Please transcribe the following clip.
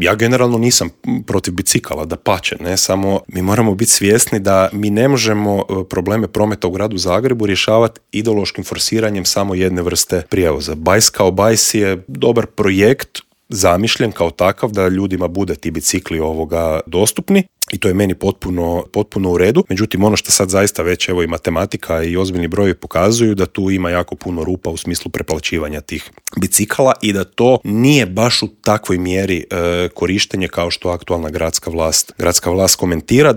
Ja generalno nisam protiv bicikala, dapače, ne, samo mi moramo biti svjesni da mi ne možemo probleme prometa u gradu Zagrebu rješavati ideološkim forsiranjem samo jedne vrste prijevoza. Bajs kao bajs je dobar projekt, zamišljen kao takav da ljudima bude ti bicikli dostupni i to je meni potpuno u redu. Međutim, ono što sad zaista već evo i matematika i ozbiljni brojevi pokazuju da tu ima jako puno rupa u smislu preplaćivanja tih bicikala i da to nije baš u takvoj mjeri korištenje kao što aktualna gradska vlast komentira.